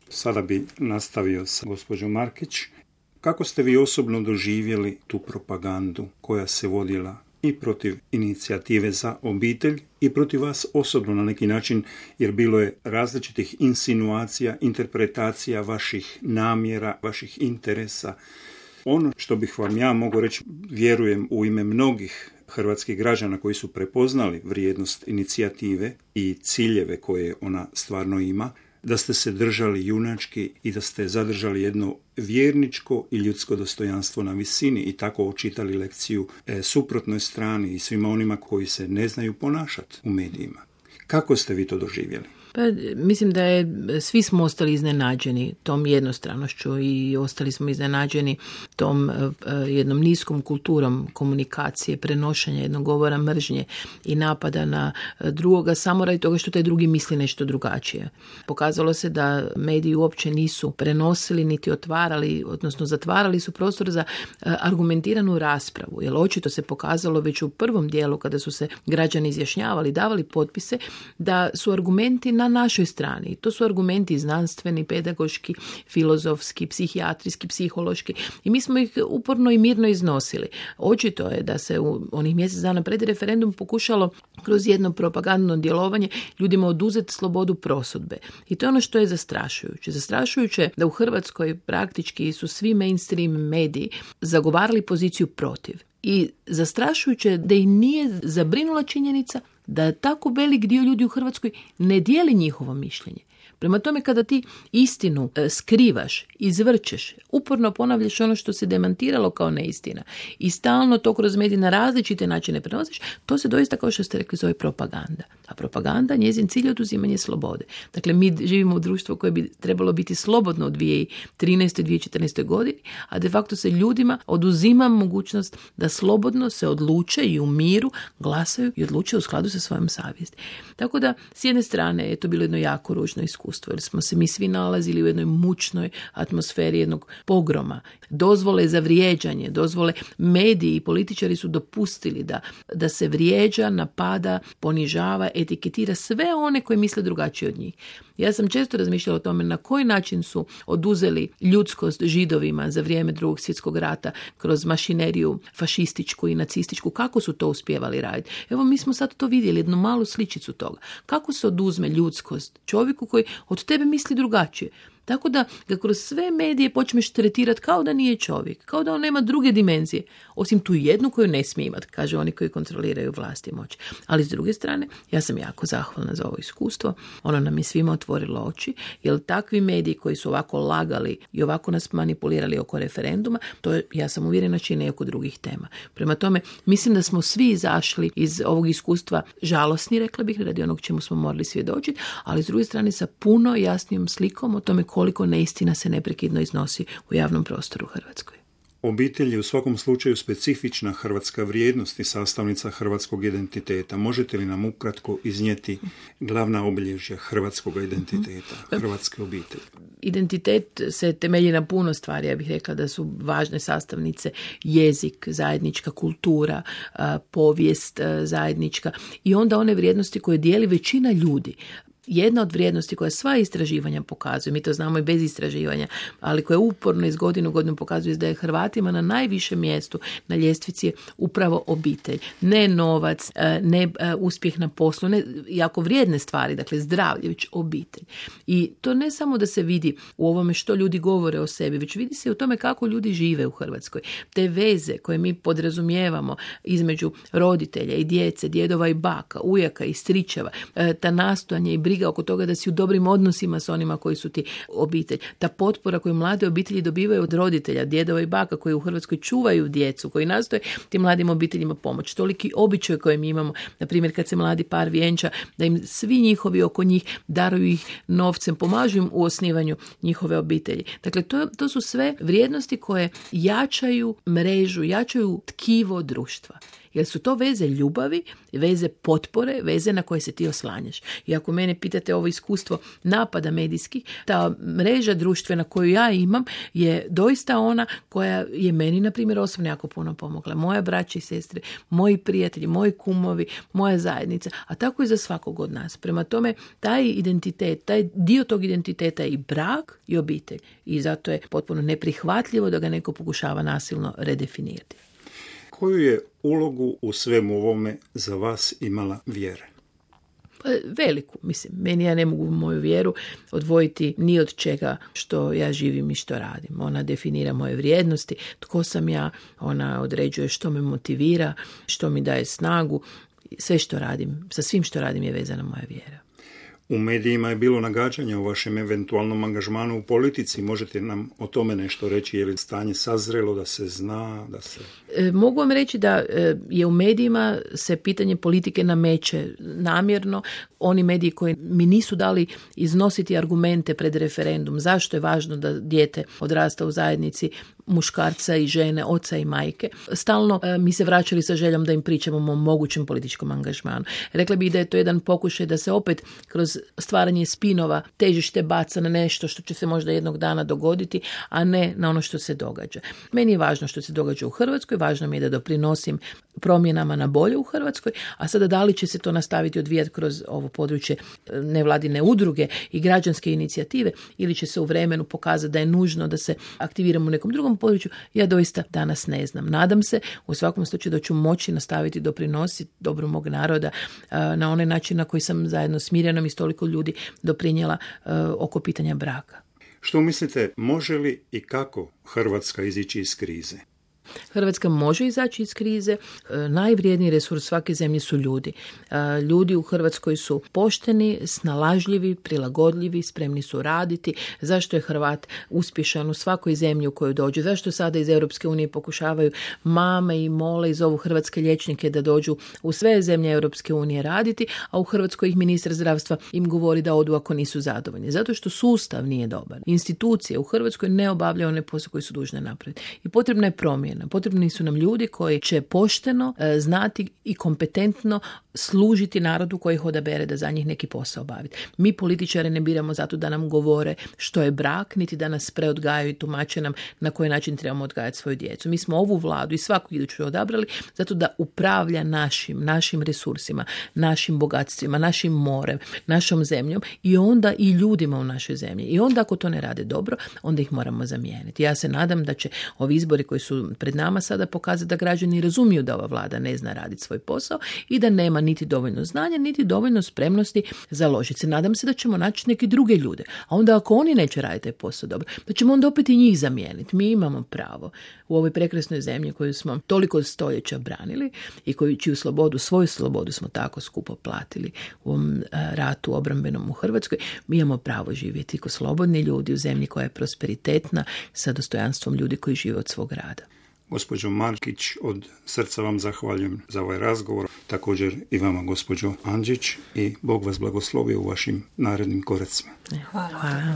Sada bi nastavio sa gospođom Markić. Kako ste vi osobno doživjeli tu propagandu koja se vodila i protiv inicijative za obitelj i protiv vas osobno na neki način, jer bilo je različitih insinuacija, interpretacija vaših namjera, vaših interesa. Ono što bih vam ja mogu reći, vjerujem u ime mnogih hrvatskih građana koji su prepoznali vrijednost inicijative i ciljeve koje ona stvarno ima, da ste se držali junački i da ste zadržali jedno vjerničko i ljudsko dostojanstvo na visini i tako očitali lekciju suprotnoj strani i svima onima koji se ne znaju ponašati u medijima. Kako ste vi to doživjeli? Pa, mislim da svi smo ostali iznenađeni tom jednostranošću i ostali smo iznenađeni tom jednom niskom kulturom komunikacije, prenošenja jednog govora mržnje i napada na drugoga samo radi toga što taj drugi misli nešto drugačije. Pokazalo se da mediji uopće nisu prenosili niti otvarali, odnosno zatvarali su prostor za argumentiranu raspravu, jer očito se pokazalo već u prvom dijelu kada su se građani izjašnjavali, davali potpise, da su argumenti na našoj strani. To su argumenti znanstveni, pedagoški, filozofski, psihijatrijski, psihološki i mi smo ih uporno i mirno iznosili. Očito je da se u onih mjesec dana pred referendum pokušalo kroz jedno propagandno djelovanje ljudima oduzeti slobodu prosudbe. I to je ono što je zastrašujuće. Zastrašujuće je da u Hrvatskoj praktički su svi mainstream mediji zagovarali poziciju protiv. I zastrašujuće je da ih nije zabrinula činjenica da tako velik dio ljudi u Hrvatskoj ne dijeli njihovo mišljenje. Prema tome, kada ti istinu skrivaš, izvrćeš, uporno ponavljaš ono što se demantiralo kao neistina i stalno to kroz medije na različite načine prenosiš, to se doista, kao što ste rekli, zove propaganda. A propaganda, njezin cilj je oduzimanje slobode. Dakle, mi živimo u društvu koje bi trebalo biti slobodno u 2013. 2014. godini, a de facto se ljudima oduzima mogućnost da slobodno se odluče i u miru glasaju i odluče u skladu sa svojom savjesti. Tako da, s jedne strane je to bilo jedno jako ružno iskustvo, jer smo se mi svi nalazili u jednoj mučnoj atmosferi jednog pogroma. Dozvole za vrijeđanje, dozvole mediji i političari su dopustili da se vrijeđa, napada, ponižava, etiketira sve one koji misle drugačije od njih. Ja sam često razmišljala o tome na koji način su oduzeli ljudskost Židovima za vrijeme Drugog svjetskog rata kroz mašineriju fašističku i nacističku. Kako su to uspjevali raditi? Evo, mi smo sad to vidjeli, jednu malu sličicu toga. Kako se oduzme ljudskost čovjeku koji od tebe misli drugačije? Tako da ga kroz sve medije počneš tretirati kao da nije čovjek, kao da on nema druge dimenzije, osim tu jednu koju ne smije imati, kaže oni koji kontroliraju vlast i moć. Ali s druge strane, ja sam jako zahvalna za ovo iskustvo, ono nam je svima otvorilo oči, jer takvi mediji koji su ovako lagali i ovako nas manipulirali oko referenduma, to je, ja sam uvjerena, čine i oko drugih tema. Prema tome, mislim da smo svi izašli iz ovog iskustva žalosni, rekla bih, radi onog čemu smo morali svjedočiti, ali s druge strane sa puno jasnijom slikom o tome koliko neistina se neprekidno iznosi u javnom prostoru u Hrvatskoj. Obitelj je u svakom slučaju specifična hrvatska vrijednost i sastavnica hrvatskog identiteta. Možete li nam ukratko iznijeti glavna obilježja hrvatskog identiteta, hrvatske obitelji? Identitet se temelji na puno stvari. Ja bih rekla da su važne sastavnice jezik, zajednička kultura, povijest zajednička i onda one vrijednosti koje dijeli većina ljudi. Jedna od vrijednosti koja sva istraživanja pokazuju, mi to znamo i bez istraživanja, ali koja uporno iz godine u godinu pokazuje da je Hrvatima na najvišem mjestu na ljestvici upravo obitelj. Ne novac, ne uspjeh na poslu, ne jako vrijedne stvari, dakle zdravlje, već obitelj. I to ne samo da se vidi u ovome što ljudi govore o sebi, već vidi se u tome kako ljudi žive u Hrvatskoj. Te veze koje mi podrazumijevamo između roditelja i djece, djedova i baka, ujaka i stričeva, ta nastojanja i briga oko toga da si u dobrim odnosima s onima koji su ti obitelj. Ta potpora koju mlade obitelji dobivaju od roditelja, djedova i baka koji u Hrvatskoj čuvaju djecu, koji nastoje tim mladim obiteljima pomoći. Toliki običaj koje mi imamo, na primjer kad se mladi par vjenča, da im svi njihovi oko njih daruju ih novcem, pomažu im u osnivanju njihove obitelji. Dakle, to su sve vrijednosti koje jačaju mrežu, jačaju tkivo društva. jer su to veze ljubavi, veze potpore, veze na koje se ti oslanjaš. I ako mene pitate ovo iskustvo napada medijskih, ta mreža društvena koju ja imam je doista ona koja je meni, na primjer, osobno jako puno pomogla. Moja braća i sestre, moji prijatelji, moji kumovi, moja zajednica, a tako i za svakog od nas. Prema tome, taj identitet, taj dio tog identiteta je i brak i obitelj. I zato je potpuno neprihvatljivo da ga neko pokušava nasilno redefinirati. Koju je ulogu u svemu ovome za vas imala vjera? Pa veliku, mislim. Meni, ja ne mogu moju vjeru odvojiti ni od čega što ja živim i što radim. Ona definira moje vrijednosti, tko sam ja, ona određuje što me motivira, što mi daje snagu. Sve što radim, sa svim što radim je vezana moja vjera. U medijima je bilo nagađanja o vašem eventualnom angažmanu u politici. Možete nam o tome nešto reći? Je li stanje sazrelo da se zna? Da se... Mogu vam reći da je u medijima se pitanje politike nameće namjerno. Oni mediji koji mi nisu dali iznositi argumente pred referendum zašto je važno da dijete odrasta u zajednici muškarca i žene, oca i majke. Stalno mi se vraćali sa željom da im pričamo o mogućem političkom angažmanu. Rekla bih da je to jedan pokušaj da se opet kroz stvaranje spinova težište baca na nešto što će se možda jednog dana dogoditi, a ne na ono što se događa. Meni je važno što se događa u Hrvatskoj, važno mi je da doprinosim promjenama na bolje u Hrvatskoj, a sada da li će se to nastaviti odvijati kroz ovo područje nevladine udruge i građanske inicijative ili će se u vremenu pokazati da je nužno da se aktiviramo u nekom drugom području, ja doista danas ne znam. Nadam se u svakom slučaju da ću moći nastaviti doprinositi dobru mog naroda na onaj način na koji sam zajedno s Mirjanom i s toliko ljudi doprinijela oko pitanja braka. Što mislite, može li i kako Hrvatska izići iz krize? Hrvatska može izaći iz krize. Najvrijedniji resurs svake zemlje su ljudi. Ljudi u Hrvatskoj su pošteni, snalažljivi, prilagodljivi, spremni su raditi. Zašto je Hrvat uspješan u svakoj zemlji u kojoj dođe? Zašto sada iz Europske unije pokušavaju mame i mole i zovu hrvatske liječnike da dođu u sve zemlje Europske unije raditi, a u Hrvatskoj ih ministar zdravstva im govori da odu ako nisu zadovoljni? Zato što sustav nije dobar. Institucije u Hrvatskoj ne obavljaju one posao koji su dužne napraviti. I potrebna je promjena. Potrebni su nam ljudi koji će pošteno znati i kompetentno služiti narodu koji ih odabere da za njih neki posao obaviti. Mi političari ne biramo zato da nam govore što je brak, niti da nas preodgajaju i tumače nam na koji način trebamo odgajati svoju djecu. Mi smo ovu vladu i svaku iduću odabrali zato da upravlja našim resursima, našim bogatstvima, našim morem, našom zemljom i onda i ljudima u našoj zemlji. I onda ako to ne rade dobro, onda ih moramo zamijeniti. Ja se nadam da će ovi izbori koji su pred nama sada pokazati da građani razumiju da ova vlada ne zna raditi svoj posao i da nema niti dovoljno znanja, niti dovoljno spremnosti založiti se. Nadam se da ćemo naći neke druge ljude. A onda ako oni neće raditi taj posao dobro, da ćemo onda opet i njih zamijeniti. Mi imamo pravo u ovoj prekrasnoj zemlji koju smo toliko stoljeća branili i čiju slobodu, svoju slobodu smo tako skupo platili u ovom ratu obrambenom u Hrvatskoj. Mi imamo pravo živjeti kao slobodni ljudi u zemlji koja je prosperitetna sa dostojanstvom ljudi koji žive od svog rada. Gospođo Markić, od srca vam zahvaljujem za ovaj razgovor. Također i vama, gospođo Andžić, i Bog vas blagoslovi u vašim narednim koracima. Hvala.